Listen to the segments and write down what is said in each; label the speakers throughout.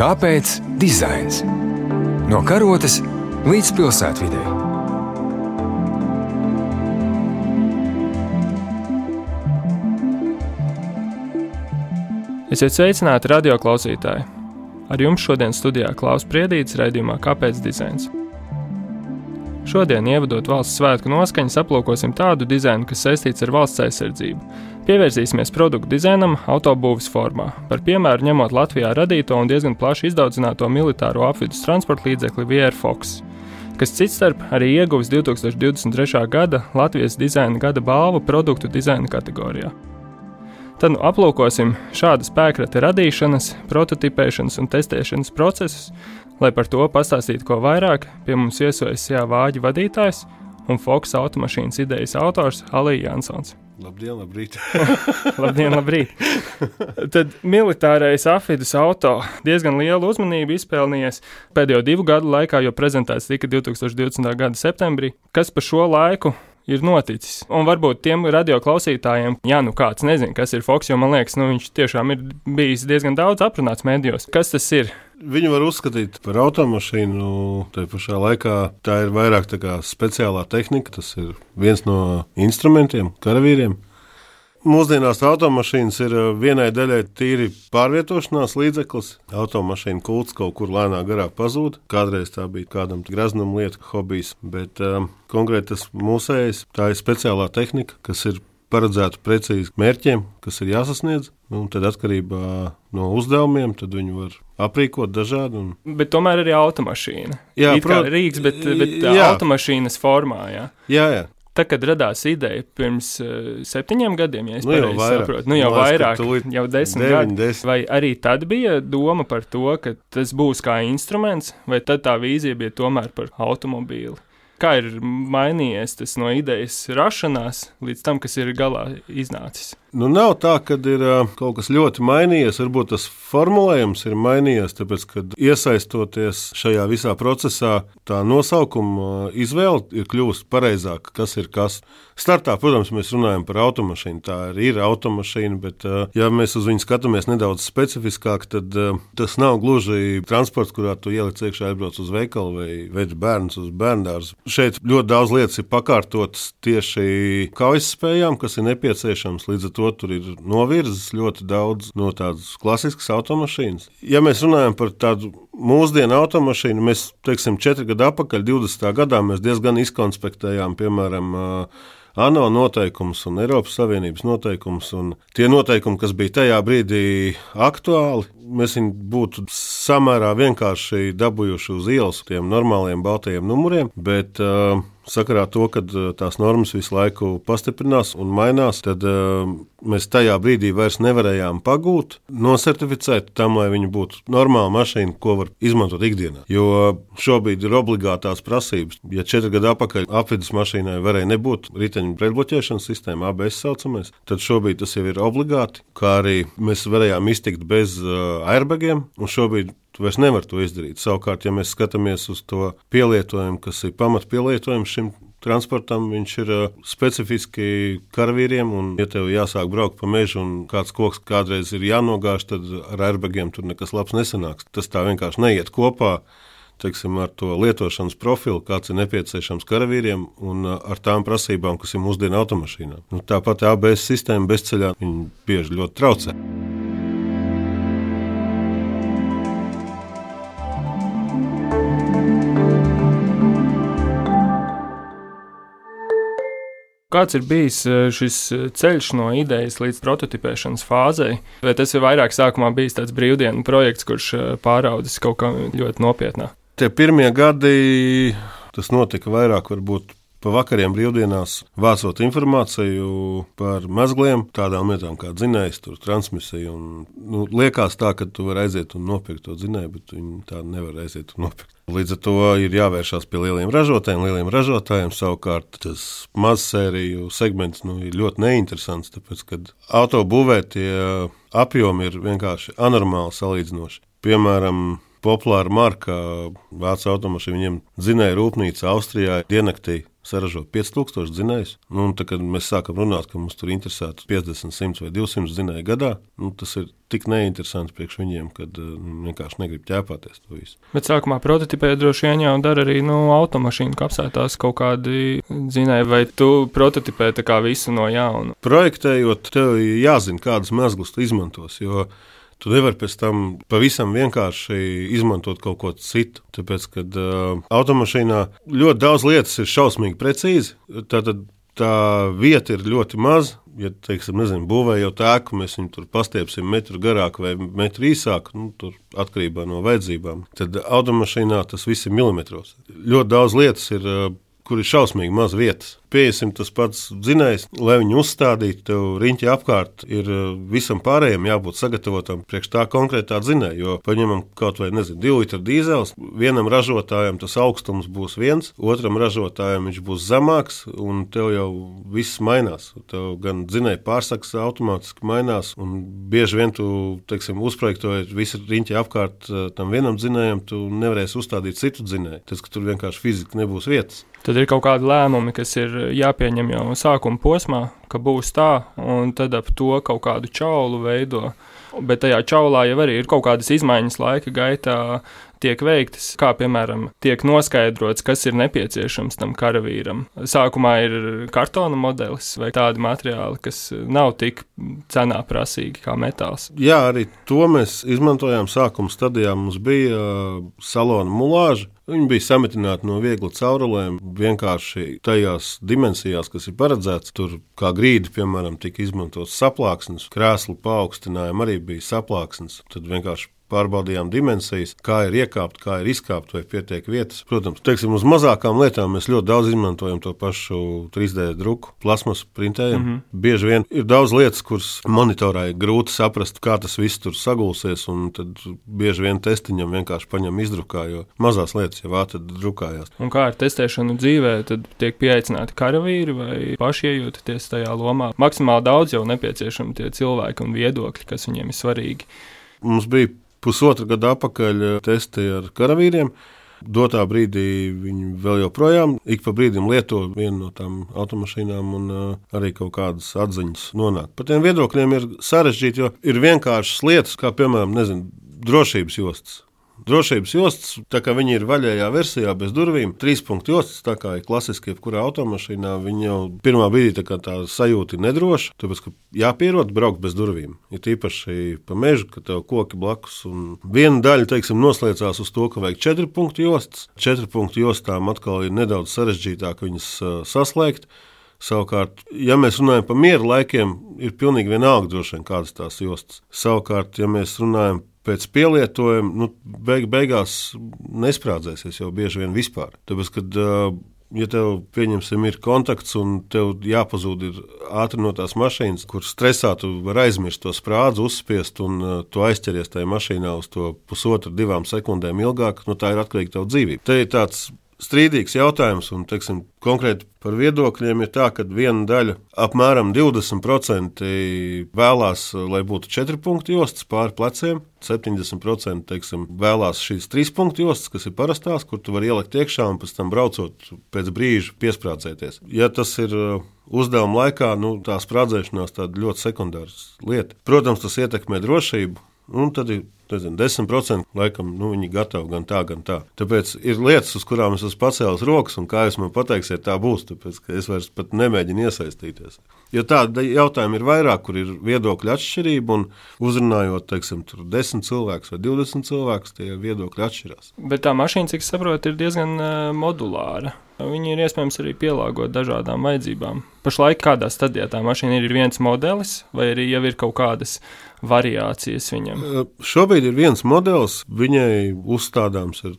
Speaker 1: Kāpēc dizains? No karotes līdz pilsētvidei.
Speaker 2: Esiet sveicināti radioklausītāji! Ar jums šodien studijā Klaus Priedītis raidījumā Kāpēc dizains? Šodien, ievadot valsts svētku noskaņas, aplūkosim tādu dizainu, kas saistīts ar valsts aizsardzību. Pievērsīsimies produktu dizainam autobūves formā, par piemēru ņemot Latvijā radīto un diezgan plaši izdaudzināto militāro apvidus transporta līdzekli VR Fox, kas citstarp arī ieguvis 2023. gada Latvijas dizaina gada balvu produktu dizaina kategorijā. Tad aplūkosim šāda spēkrata radīšanas, prototipēšanas un testēšanas procesus, lai par to pastāstītu ko vairāk, pie mums viesojas SEA Vāģi vadītājs un Fox automašīnas idejas autors Alija Jansons.
Speaker 3: Labdien, labrīt!
Speaker 2: Labdien, labrīt! Tad militārais apvidus auto diezgan lielu uzmanību izpelnījies pēdējo 2 gadu laikā, jo prezentēts tika 2020. gada septembrī. Kas pa šo laiku ir noticis? Un varbūt tiem radioklausītājiem, kāds nezin, kas ir Fox, jo man liekas, viņš tiešām ir bijis diezgan daudz aprunāts medijos. Kas tas ir?
Speaker 3: Viņu var uzskatīt par automašīnu, tai pašā laikā tā ir vairāk tā kā speciālā tehnika, tas ir viens no instrumentiem, karavīriem. Mūsdienās automašīnas ir vienai daļai tīri pārvietošanās līdzeklis. Automašīna kults kaut kur lēnā garā pazūd. Kādreiz tā bija kādam graznam lieta, hobijs, bet konkrēti tas mūsējais, tā ir speciālā tehnika, kas ir paredzēta precīzi mērķiem, kas ir jāsasniedz. Un tad atkarībā no uzdevumiem, tad viņi var aprīkot dažādi.
Speaker 2: Bet tomēr arī automašīna.
Speaker 3: Jā,
Speaker 2: kā rīks, bet automašīnas formā, jā.
Speaker 3: Jā.
Speaker 2: Tā, kad radās ideja pirms 7 gadiem, ja es pareizi saprotu, jau vairāk, jau 10 gadi, vai arī tad bija doma par to, ka tas būs kā instruments, vai tad tā vīzija bija tomēr par automobīli? Kā ir mainījies tas no idejas rašanās līdz tam, kas ir galā iznācis? Nav
Speaker 3: tā, ka ir kaut kas ļoti mainījies. Varbūt tas formulējums ir mainījies, tāpēc, kad iesaistoties šajā visā procesā, tā nosaukuma izvēle ir kļūst pareizāka, kas ir kas. Startā, protams, mēs runājam par automašīnu. Tā ir automašīna, bet ja mēs uz viņu skatāmies nedaudz specifiskāk, tad tas nav gluži transports, kurā tu ieliec iekšā, aizbrauc uz veikalu vai ved bērnus uz bērndārzu. Šeit ļoti daudz lietas ir pakārtotas tieši kaujas spējām, kas ir nepieciešams. Līdz ar to tur ir novirzes ļoti daudz no tādas klasiskas automašīnas. Ja mēs runājam par tādu mūsdienu automašīnu, mēs, 4 gadu atpakaļ, 20. gadā, mēs diezgan izkonspektējām, piemēram, ANO noteikumus un Eiropas Savienības noteikumus, un tie noteikumi, kas bija tajā brīdī aktuāli, mēs viņu būtu samērā vienkārši dabūjuši uz ielas tiem normāliem baltajiem numuriem, bet sakarā to, ka tās normas visu laiku pastiprinās un mainās, tad mēs tajā brīdī vairs nevarējām pagūt, nosertificēt tam, lai viņa būtu normāla mašīna, ko var izmantot ikdienā. Jo šobrīd ir obligātās prasības. Ja 4 gadu atpakaļ apvidus mašīnai varēja nebūt riteņu pretbloķēšanas sistēma, ABS saucamais, tad šobrīd tas jau ir obligāti, kā arī mēs varējām iztikt bez airbagiem, un šobrīd tu vairs nevar to izdarīt. Savukārt, ja mēs skatāmies uz to pielietojumu, kas ir pamatpielietojums šim transportam, viņš ir specifiski karavīriem, un ja tev jāsāk braukt pa mežu un kāds koks kādreiz ir jānogāž, tad ar airbagiem tur nekas labs nesanāks. Tas tā vienkārši neiet kopā, ar to lietošanas profilu, kāds ir nepieciešams karavīriem un ar tām prasībām, kas ir mūsdienu automašīnām. Tāpat ABS sistēma bezceļā, viņi bieži ļoti traucē.
Speaker 2: Kāds ir bijis šis ceļš no idejas līdz prototipēšanas fāzei? Vai tas ir vairāk sākumā bijis tāds brīvdienu projekts, kurš pāraudzis kaut kā ļoti nopietnā?
Speaker 3: Tie pirmie gadi, tas notika vairāk varbūt pa vakariem brīvdienās, vācot informāciju par mezgliem, tādām lietām kā dzinējs, transmisija. Liekas tā, ka tu vari aiziet un nopirkt to dzinēju, bet viņi tā nevar aiziet un nopirkt. Līdz ar to ir jāvēršās pie lieliem ražotājiem. Savukārt tas mazsēriju segments ir ļoti neinteresants, tāpēc, kad autobūvē tie apjomi ir vienkārši anormāli salīdzinoši. Piemēram, populāra marka vācu automašīna, viņiem dzinēja rūpnīca Austrijā diennaktī saražo 5000 dzinējus. Un tad, kad mēs sākam runāt, ka mums tur interesētu 50, 100 vai 200 dzinēju gadā, tas ir tik neinteresanti priekš viņiem, kad vienkārši negrib ķēpāties to visu.
Speaker 2: Bet sākumā prototipē droši vien jau dara arī automašīnu kapsētās kaut kādi dzinēji, vai tu prototipē tā kā visu no jauna?
Speaker 3: Projektējot, tev jāzina, kādas mezglas tu izmantos, jo tu nevari pēc tam pavisam vienkārši izmantot kaut ko citu. Tāpēc, kad automašīnā ļoti daudz lietas ir šausmīgi precīzi, tad tā vieta ir ļoti maza. Ja, teiksim, būvējot ēku, mēs viņu tur pastiepsim metru garāk vai metru īsāk, tur atkarībā no vajadzībām. Tad automašīnā tas viss ir milimetros. Ļoti daudz lietas ir, kur ir šausmīgi maz vietas. Piesim tas pats dzinējs, lai viņu uzstādītu, tev riņķi apkārt ir visam pārējiem jābūt sagatavotam priekš tā konkrētā dzinēja, jo paņemam kaut vai, 2 litru dīzels, vienam ražotājam tas augstums būs viens, otram ražotājam viņš būs zemāks, un tev jau viss mainās. Tev gan dzinēja pārsaks automātiski mainās, un bieži vien tu, teiksim, uzprojektojot visu riņķi apkārt tam vienam dzinējam, tu nevarēsi uzstādīt citu dzinēju, tas, ka tur vienkārši fiziski nebūs vietas.
Speaker 2: Tad ir kaut kādi lēmumi, kas ir jāpieņem jau sākuma posmā, ka būs tā, un tad ap to kaut kādu čaulu veido. Bet tajā čaulā jau arī ir kaut kādas izmaiņas laika gaitā tiek veiktas, kā piemēram tiek noskaidrots, kas ir nepieciešams tam karavīram. Sākumā ir kartona modelis vai tādi materiāli, kas nav tik cenā prasīgi kā metāls.
Speaker 3: Jā, arī to mēs izmantojām sākuma stadijā. Mums bija salona mulāža. Viņi bija sametināti no viegla caurulēm, vienkārši tajās dimensijās, kas ir paredzēts. Tur kā grīdi, piemēram, tika izmantots saplāksnes, krēslu paaugstinājumi arī bija saplāksnes. Tad vienkārši pārbaudījām dimensijas, kā ir iekāpt, kā ir izkāpt, vai pietiek vietas. Protams, teiksim, uz mazākām lietām mēs ļoti daudz izmantojam to pašu 3D druku, plasmas printējam. Bieži vien ir daudz lietas, kuras monitorā ir grūti saprast, kā tas viss tur sagulsies, un tad bieži vien testiņam vienkārši paņem izdrukā, jo mazās lietas jau ātri drukājās.
Speaker 2: Un kā ar testēšanu dzīvē, tad tiek pieaicināti karavīri vai paši iejūtaties tajā lomā? Maksimāli daudz jau nepieciešami tie cilvēki un viedokļi, kas viņiem ir svarīgi.
Speaker 3: Mums bija 1,5 gada atpakaļ testi ar karavīriem. Dotā brīdī viņi vēl joprojām ik pa brīdim lieto vienu no tām automašīnām un arī kaut kādas atziņas nonāk. Par tiem viedokļiem ir sarežģīti, jo ir vienkāršas lietas, kā piemēram, drošības jostas. Drošības jostas, tā kā viņi ir vaļējā versijā bez durvīm, 3-punktu jostas, tā kā ir klasiski jebkurā automašīnā, viņi jau pirmā brīdī tā sajūta ir nedroša, tāpēc, ka jāpierod braukt bez durvīm. Ir tīpaši pa mežu, ka tev koki blakus, un viena daļa, teiksim, noslēdzās uz to, ka vajag 4-punktu jostas. 4-punktu jostām atkal ir nedaudz sarežģītāk viņas saslēgt. Savukārt, ja mēs runājam par miera laikiem, ir pilnīgi vienalga droši vien kādas tās jostas. Savukārt, ja mēs runājam pēc pielietojuma, beigās nesprādzēsies jau bieži vien vispār. Tāpēc, kad, ja tev, pieņemsim, ir kontakts un tev jāpazūd ir ātri no tās mašīnas, kur stresā tu var aizmirst to sprādzi, uzspiest un tu aizķeries tajā mašīnā uz to 1,5–2 sekundēm ilgāk, tā ir atkarīga tev dzīvība. Te ir tāds strīdīgs jautājums, un, teiksim, konkrēti par viedokļiem ir tā, ka viena daļa, apmēram 20% vēlās, lai būtu 4-punktu jostas pāri pleciem, 70%, teiksim, vēlās šīs 3-punktu jostas, kas ir parastās, kur tu vari ielikt iekšā un pēc tam braucot pēc brīža piesprādzēties. Ja tas ir uzdevuma laikā, tā sprādzēšanās tāda ļoti sekundāra lieta. Protams, tas ietekmē drošību, un tad ir 10% laikam, viņi gatavi gan tā, gan tā. Tāpēc ir lietas, uz kurām es esmu pacēlis rokas, un kā jūs man pateiksiet, tā būs, tāpēc, ka es vairs pat nemēģinu iesaistīties. Jo tādi jautājumi ir vairāk, kur ir viedokļa atšķirība, un uzrunājot, teiksim, tur 10 cilvēkus vai 20 cilvēkus, tie viedokļi atšķirās.
Speaker 2: Bet tā mašīna, cik saprotu, ir diezgan modulāra. Viņi ir iespējams arī pielāgot dažādām vajadzībām. Pašlaik kādā stadijā tā mašīna ir viens modelis, vai arī jau ir kaut kādas variācijas viņam?
Speaker 3: Šobrīd ir viens modelis, viņai uzstādāms ir,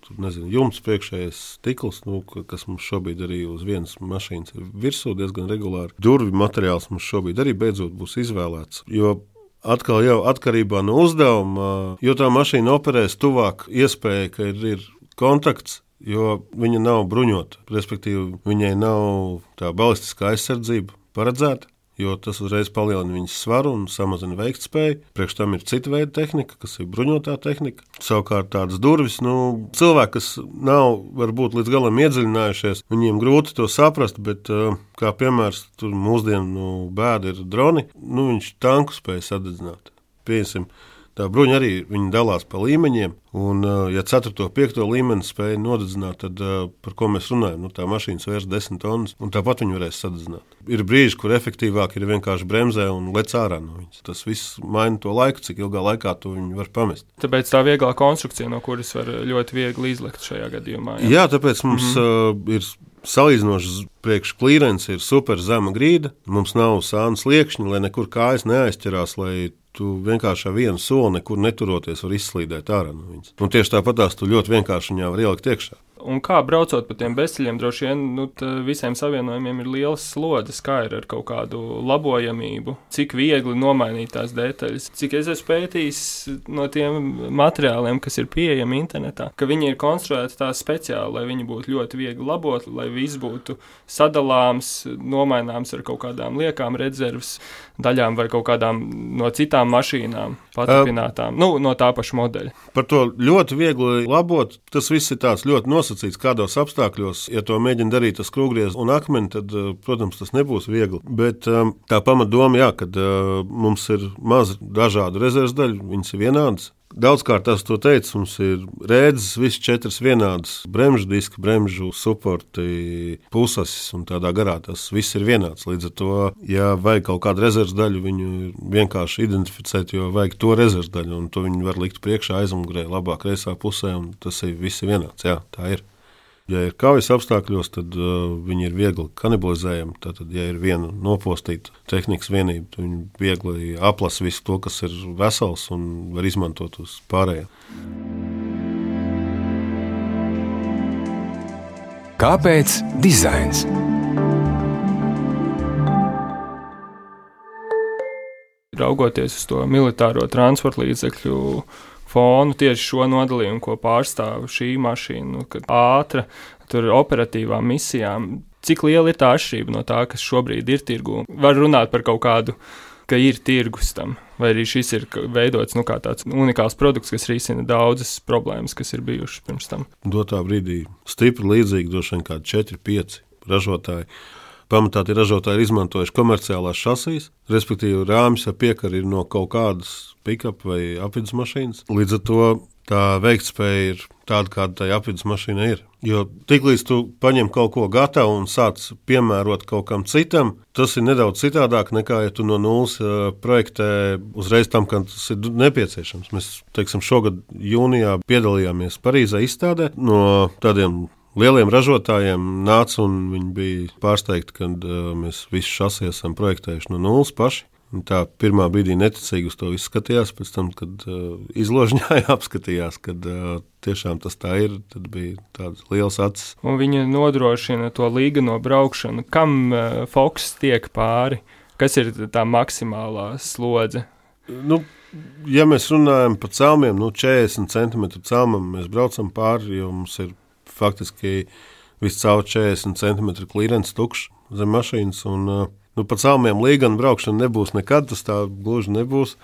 Speaker 3: jumts priekšējais stikls, kas mums šobrīd arī uz vienas mašīnas ir virsū diezgan regulāri. Durvi materiāls mums šobrīd arī beidzot būs izvēlēts, jo atkal jau atkarībā no uzdevuma, jo tā mašīna operēs tuvāk iespēja, ka ir kontakts, jo viņa nav bruņota, respektīvi viņai nav tā balistiskā aizsardzība paredzēta, jo tas uzreiz palielina viņas svaru un samazina veiktspēju. Priekš tam ir cita veida tehnika, kas ir bruņotā tehnika. Savukārt tādas durvis, cilvēki, kas nav varbūt līdz galam iedziļinājušies, viņiem grūti to saprast, bet kā piemērs, tur mūsdienu bēda ir droni, viņš tanku spēja sadedzināt. Pieņemsim, tā bruņa arī viņi dalās pa līmeņiem, un ja 4. un 5. līmeni spēja nodedzināt, tad par ko mēs runājam? Tā mašīna svērs 10 tonnas, un tāpat viņi varēs sadedzināt. Ir brīži, kur efektīvāk ir vienkārši bremzē un lec ārā no viņas. Tas viss maina to laiku, cik ilgā laikā to viņi var pamest.
Speaker 2: Tāpēc tā vieglā konstrukcija, no kuras var ļoti viegli izlikt šajā gadījumā.
Speaker 3: Jā, tāpēc mums ir salīdzinoši priekš klīrens ir super zema grīda. Mums nav sānas liekšņi, lai nekur kājas neaizķerās, lai tu vienkārši ar vienu soli nekur neturoties var izslīdēt ārā no viņas. Un tieši tāpatās tu ļoti vienkārši viņā var ielikt iekšā.
Speaker 2: Un kā braucot pa tiem bezceļiem, droši vien visiem savienojumiem ir lielas slodzes, kā ir ar kaut kādu labojamību, cik viegli nomainīt tās detaļas. Cik es esmu pētījis no tiem materiāliem, kas ir pieejami internetā, ka viņi ir konstruēti tā speciāli, lai viņi būtu ļoti viegli labot, lai viss būtu sadalāms, nomaināms ar kaut kādām liekām rezerves daļām vai kaut kādām no citām mašīnām paturpinātām, no tā paša modeļa.
Speaker 3: Par to ļoti viegli labot, tas viss ir tāds ļoti nosacīts, kādos apstākļos, ja to mēģina darīt ar skrūvgriezu un akmeni, tad, protams, tas nebūs viegli. Bet tā pamatdoma, kad mums ir maz dažādu rezerves daļu, viņas ir vienādas. Daudzkārt tas to teica, mums ir rēdzes, visas 4 vienādas, bremžu diski, bremžu suporti, pusasis un tādā garā tas viss ir vienāds. Līdz ar to, ja vajag kaut kādu rezerves daļu, viņu vienkārši identificēt, jo vajag to rezerves daļu, un to viņi var likt priekšā, aizmugurē, labā kreisā pusē, un tas ir viss vienāds. Jā, tā ir. Ja ir kaujas apstākļos, tad viņi ir viegli kanibalizējami. Tātad, ja ir viena nopostīta tehnikas vienība, tad viņi viegli aplasa visu to, kas ir vesels un var izmantot uz pārējiem.
Speaker 1: Kāpēc dizains?
Speaker 2: Raugoties uz to militāro transporta līdzekļu fonu, tieši šo nodalījumu, ko pārstāv šī mašīna, kad ātra, tur operatīvām misijām, cik liela ir tā atšķirība no tā, kas šobrīd ir tirgū? Var runāt par kaut kādu, ka ir tirgus tam, vai arī šis ir veidots kā tāds unikāls produkts, kas risina daudzas problēmas, kas ir bijušas pirms tam.
Speaker 3: Dotā brīdī stipri līdzīgi, droši vien kādi 4-5 ražotāji. Pamatā tie ražotāji ir izmantojuši komerciālās šasijas, respektīvi rāmis ar piekari ir no kaut kādas pick-up vai apvidus mašīnas. Līdz ar to tā veiktspēja ir tāda, kāda tai apvidus mašīna ir. Jo tiklīdz tu paņem kaut ko gatavu un sāc piemērot kaut kam citam, tas ir nedaudz citādāk nekā, ja tu no nulles projektē uzreiz tam, kad tas ir nepieciešams. Mēs, šogad jūnijā piedalījāmies Parīzē izstādē no tādiem lieliem ražotājiem nāca un viņi bija pārsteigti, kad mēs visu šasi esam projektējuši no nulles paši. Un tā pirmā brīdī neticīgi uz to visu skatījās, pēc tam, kad izložņāja apskatījās, kad tiešām tas tā ir, tad bija tāds liels acis.
Speaker 2: Un viņi nodrošina to līgano braukšanu. Kam Foks tiek pāri? Kas ir tā maksimālā slodze?
Speaker 3: Ja mēs runājam par celmiem, 40 cm celmam mēs braucam pāri, jo mums ir faktiski viscaur 40 cm klīrens tukšs zem mašīnas, un pa celmiem līgana braukšana nebūs nekad, tas tā gluži nebūs,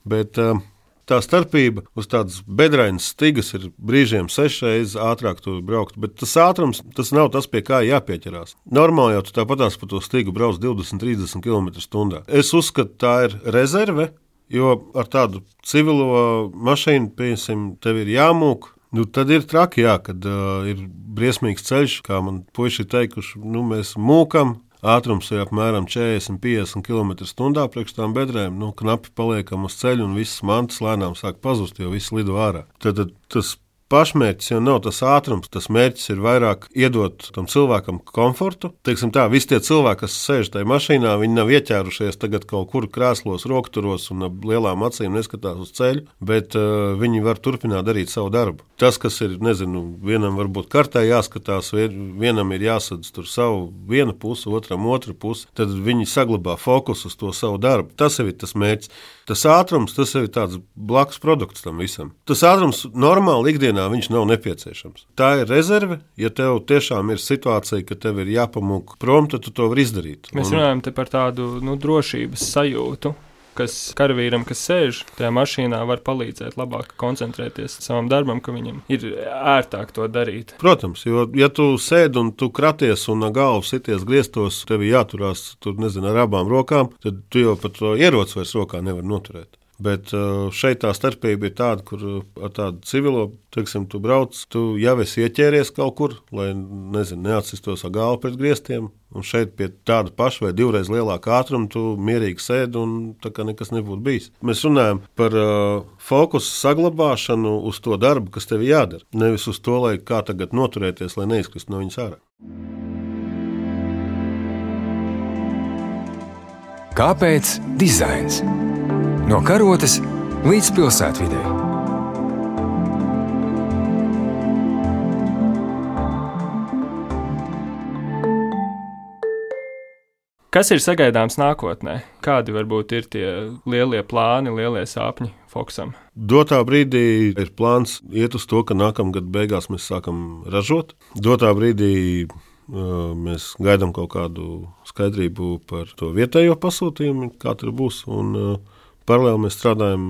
Speaker 3: bet tā starpība uz tādas bedrainas stigas ir brīžiem 6 reizes ātrāk tur braukt, bet tas ātrums, tas nav tas, pie kā jāpieķerās. Normāli jau tu tāpatās pa to stigu brauc 20-30 km/h. Es uzskatu, tā ir rezerve, jo ar tādu civilo mašīnu, piemēram, tev ir jāmūk. Tad ir traki, kad ir briesmīgs ceļš, kā man puiši ir teikuši, mēs mūkam, ātrums ir apmēram 40-50 km/h priekš tām bedrēm, knapi paliekam uz ceļu un visas mantas lēnām sāk pazust, jo viss lido ārā. Tad tas pašmērķis jau nav tas ātrums, tas mērķis ir vairāk iedot tam cilvēkam komfortu. Visi tie cilvēki, kas sēž tajā mašīnā, viņi nav ieķērušies tagad kaut kur krēslos, rokturos un ar lielām acīm neskatās uz ceļu, bet viņi var turpināt darīt savu darbu. Tas, kas ir, vienam varbūt kartē jāskatās, vienam ir jāsadz tur savu viena pusi, otram otra pusi, tad viņi saglabā fokusu uz to savu darbu. Tas ir tas mērķis. Tas ātrums, tas ir tāds blakus produkts tam visam. Tas ātrums normāli ikdienā mašīnā viņš nav nepieciešams. Tā ir rezerve, ja tev tiešām ir situācija, ka tev ir jāpamūk prom, tad tu to vari izdarīt.
Speaker 2: Mēs runājam te par tādu drošības sajūtu, kas karavīram, kas sēž tajā mašīnā, var palīdzēt labāk koncentrēties savam darbam, ka viņam ir ērtāk to darīt.
Speaker 3: Protams, jo ja tu sēdi un tu kraties un galvu sities griestos, tev jāturās tur, ar abām rokām, tad tu jau pat to ieroci vairs rokā nevar noturēt. Bet šeit tā starpība ir tāda, kur ar tādu civilo, teiksim, tu brauc, tu jau esi ieķēries kaut kur, lai, neatsistos ar galvu pret griestiem, un šeit pie tāda paša vai 2 reizes lielāka ātruma tu mierīgi sēdi un tā kā nekas nebūtu bijis. Mēs runājam par fokusu saglabāšanu uz to darbu, kas tev jādara, nevis uz to, lai kā tagad noturēties, lai neizkrist no viņas ārā.
Speaker 1: Kāpēc dizains? No karotes līdz pilsētvidei.
Speaker 2: Kas ir sagaidāms nākotnē? Kādi varbūt ir tie lielie plāni, lielie sapņi Foksam?
Speaker 3: Dotā brīdī ir plāns iet uz to, ka nākamgad beigās mēs sākam ražot. Dotā brīdī mēs gaidām kaut kādu skaidrību par to vietējo pasūtījumu, kā tur būs, un paralēli mēs strādājam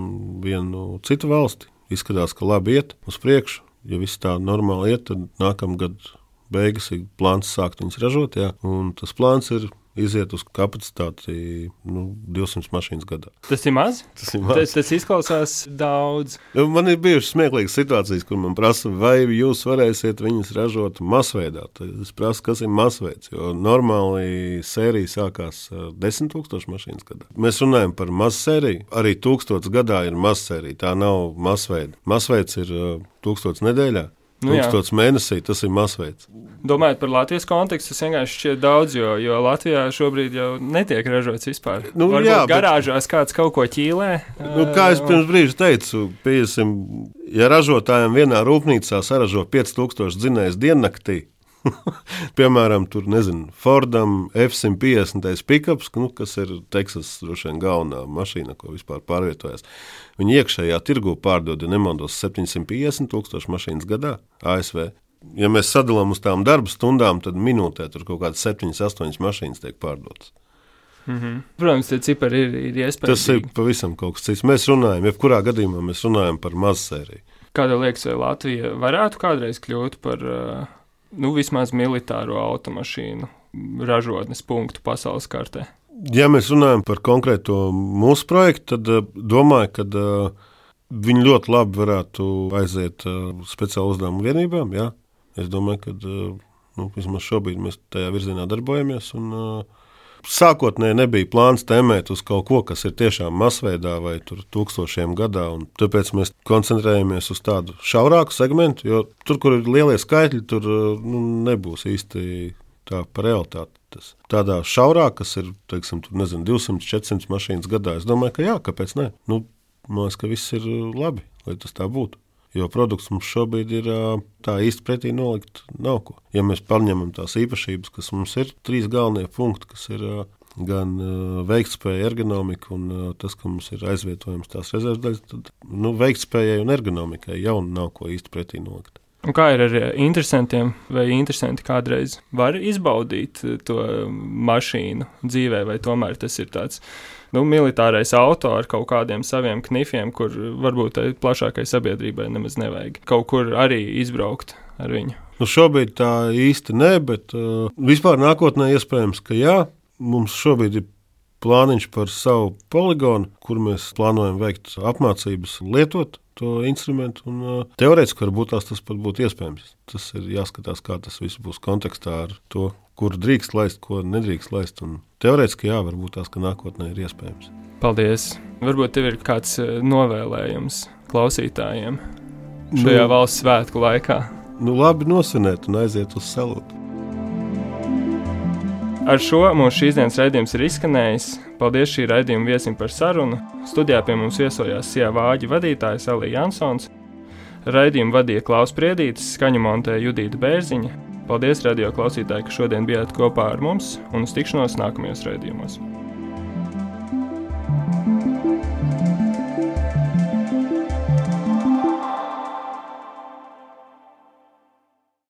Speaker 3: vienu citu valsti. Izskatās, ka labi iet uz priekšu. Ja viss tā normāli iet, tad nākamgad beigas ir plāns sākt viņas ražot. Jā. Un tas plāns ir iziet uz kapacitāti 200 mašīnas gadā.
Speaker 2: Tas ir maz? Tas izklausās daudz.
Speaker 3: Man ir bijušas smieklīgas situācijas, kur man prasa, vai jūs varēsiet viņas ražot masveidā. Tad es prasu, kas ir masveids, jo normāli sērija sākās 10 000 mašīnas gadā. Mēs runājam par mazsēriju. Arī 1000 gadā ir mazsērija, tā nav masveida. Masveids ir 1000 nedēļā. 1000 mēnesī, tas ir masveids.
Speaker 2: Domājot par Latvijas kontekstu, tas vienkārši šķiet daudz, jo Latvijā šobrīd jau netiek ražots vispār. Varbūt garāžās kāds kaut ko ķīlē.
Speaker 3: Kā es pirms brīža teicu, ja ražotājiem vienā rūpnīcā saražo 5000 dzinējus diennaktī, piemēram, tur, Fordam F-150 pikaps, kas ir Teksas droši vien galvenā mašīna, ko vispār pārvietojas. Viņi iekšējā tirgu pārdod, ja nemaldos, 750 000 mašīnas gadā ASV. Ja mēs sadalām uz tām darba stundām, tad minūtē tur kaut kādas 7-8 mašīnas tiek pārdotas.
Speaker 2: Protams, tie cipari ir iespējami.
Speaker 3: Tas ir pavisam kaut kas cits. Mēs runājam, jebkurā gadījumā mēs runājam par mazsēriju.
Speaker 2: Kādā liekas, vai Latvija varētu kādreiz kļūt par vismaz militāro automašīnu ražotnes punktu pasaules kartē?
Speaker 3: Ja mēs runājam par konkrēto mūsu projektu, tad domāju, ka viņi ļoti labi varētu aiziet speciālu uzdevumu vienībām. Jā. Es domāju, ka vismaz šobrīd mēs tajā virzienā darbojamies. Sākotnēji nebija plāns tēmēt uz kaut ko, kas ir tiešām masveidā vai tur 1000 gadā. Tāpēc mēs koncentrējamies uz tādu šaurāku segmentu, jo tur, kur ir lielie skaitļi, tur nebūs īsti tā par realitāti. Tādā šaurāk, kas ir, 200-400 mašīnas gadā, es domāju, ka jā, kāpēc ne? Man liekas, ka viss ir labi, lai tas tā būtu. Jo produkts mums šobrīd ir tā īsti pretī nolikt nav ko. Ja mēs paņemam tās īpašības, kas mums ir 3 galvenie punkti, kas ir gan veiktspēja, ergonomika un tas, ka mums ir aizvietojams tās rezervdaļas, tad veiktspējai un ergonomikai jau nav ko īsti pretī nolikt.
Speaker 2: Un kā ir ar interesantiem, vai interesanti kādreiz var izbaudīt to mašīnu dzīvē, vai tomēr tas ir tāds militārais auto ar kaut kādiem saviem knifiem, kur varbūt plašākai sabiedrībai nemaz nevajag kaut kur arī izbraukt ar viņu?
Speaker 3: Šobrīd tā īsti ne, bet vispār nākotnē iespējams, ka jā. Mums šobrīd ir plāniņš par savu poligonu, kur mēs plānojam veikt apmācības lietot to instrumentu, un teorētiski varbūt tas pat būtu iespējams. Tas ir jāskatās, kā tas viss būs kontekstā ar to, kur drīkst laist, ko nedrīkst laist, un teorētiski jā, varbūt tās, ka nākotnē ir iespējams.
Speaker 2: Paldies! Varbūt tev ir kāds novēlējums klausītājiem šajā valsts svētku laikā?
Speaker 3: Labi nosvinēt un aiziet uz salūtu.
Speaker 2: Ar šo mūsu šīs dienas raidījums ir izskanējis. Paldies šī raidījuma viesim par sarunu. Studijā pie mums viesojās Sijā Vāģi vadītājs Alija Jansons. Raidījumu vadīja Klaus Priedītis, skaņu montēja Judīta Bērziņa. Paldies radio klausītāji, ka šodien bijāt kopā ar mums un uz tikšanos nākamajos raidījumos.